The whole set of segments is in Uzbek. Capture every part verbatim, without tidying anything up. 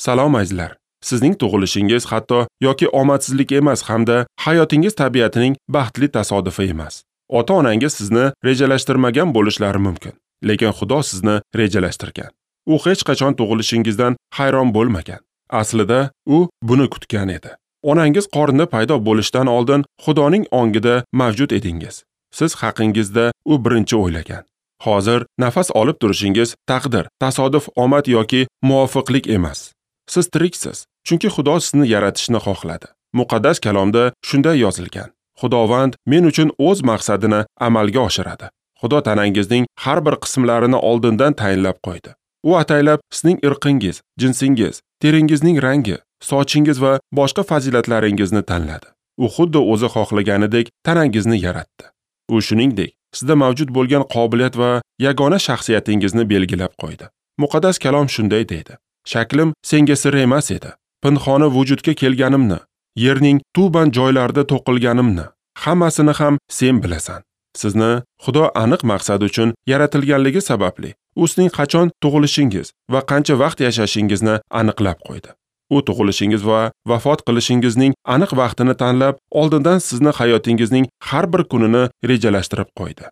Salom azizlar. Sizning tug'ilishingiz hatto yoki omadsizlik emas hamda hayotingiz tabiatining baxtli tasodifi emas. Ota-onangiz sizni rejalashtirmagan bo'lishlari mumkin, lekin Xudo sizni rejalashtirgan. U hech qachon tug'ilishingizdan hayron bo'lmagan. Aslida u buni kutgan edi. Onangiz qornida paydo bo'lishdan oldin Xudoning ongida mavjud edingiz. Siz haqingizda u birinchi o'ylagan. Hozir nafas olib turishingiz taqdir, tasodif, omad yoki muvofiqlik emas. Siz tiriksiz, chunki Xudo sizni yaratishni xohladi. Muqaddas kalomda shunday yozilgan: Xudovand men uchun o'z maqsadini amalga oshiradi. Xudo tanangizning har bir qismlarini oldindan tayinlab qo'ydi. U ataylab sizning irqingiz, jinsingiz, teringizning rangi, sochingiz va boshqa fazilatlaringizni tanladi. U xuddi o'zi xohlaganidek tanangizni yaratdi. U shuningdek sizda mavjud bo'lgan qobiliyat va yagona shaxsiyatingizni belgilab qo'ydi. Muqaddas kalom shunday deydi: Shaklim senga sir emas edi. Pinhona vujudga kelganimni, yerning tuban joylarida to'qilganimni, hammasini ham sen bilasan. Sizni Xudo aniq maqsad uchun yaratilganligi sababli u sizning qachon tug'ilishingiz va qancha vaqt yashashingizni aniqlab qo'ydi. U tug'ilishingiz va vafot qilishingizning aniq vaqtini tanlab, oldindan sizni hayotingizning har bir kunini rejalashtirib qo'ydi.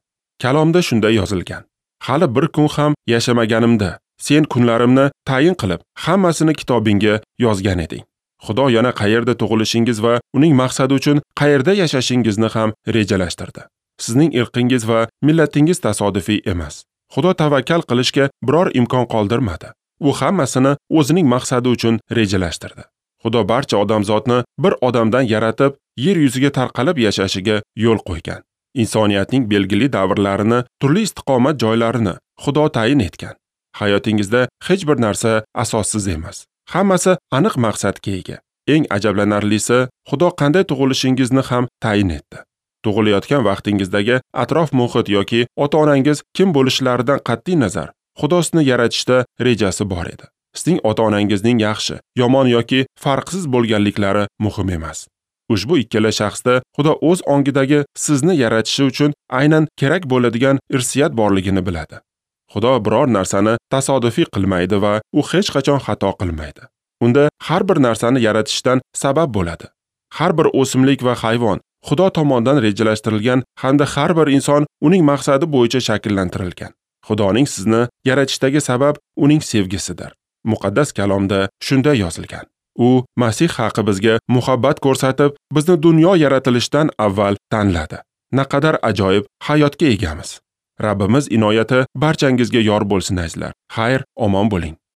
Kalomda shunday yozilgan: Hali bir kun ham yashamaganimda sen kunlarimni tayin qilib, hammasini kitobingga yozgan eding. Xudo yana qayerda tug'ilishingiz va uning maqsadi uchun qayerda yashashingizni ham rejalashtirdi. Sizning irqingiz va millatingiz tasodifiy emas. Xudo tavakkal qilishga biror imkon qoldirmadi. U hammasini o'zining maqsadi uchun rejalashtirdi. Xudo barcha odamzodni bir odamdan yaratib, yer yuziga tarqalib yashashiga yo'l qo'ygan. Insoniyatning belgili davrlarini, turli istiqomat joylarini Xudo tayin etgan. Hayotingizda hech bir narsa asossiz emas. Hammasi aniq maqsadga ega. Eng ajablanarlisi, Xudo qanday tug'ilishingizni ham tayin etdi. Tug'ilayotgan vaqtingizdagi atrof muhit yoki ota-onangiz kim bo'lishlaridan qat'iy nazar, Xudo sizni yaratishda rejasi bor edi. Sizning ota-onangizning yaxshi, yomon yoki farqsiz bo'lganliklari muhim emas. Ushbu ikkala shaxsda Xudo o'z ongidagi sizni yaratishi uchun aynan kerak bo'ladigan irsiyat borligini biladi. Xudo biror narsani tasodifiy qilmaydi va u hech qachon xato qilmaydi. Unda har bir narsani yaratishdan sabab bo'ladi. Har bir o'simlik va hayvon Xudo tomonidan rejalashtirilgan hamda har bir inson uning maqsadi bo'yicha shakllantirilgan. Xudoning sizni yaratishdagi sabab uning sevgisidir. Muqaddas kalomda shunday yozilgan: U Masih haqi bizga muhabbat ko'rsatib, bizni dunyo yaratilishidan avval tanladi. Naqadar ajoyib hayotga egamiz. Rabbimiz inoyati barchangizga yor bo'lsin azizlar. Xayr, omon bo'ling.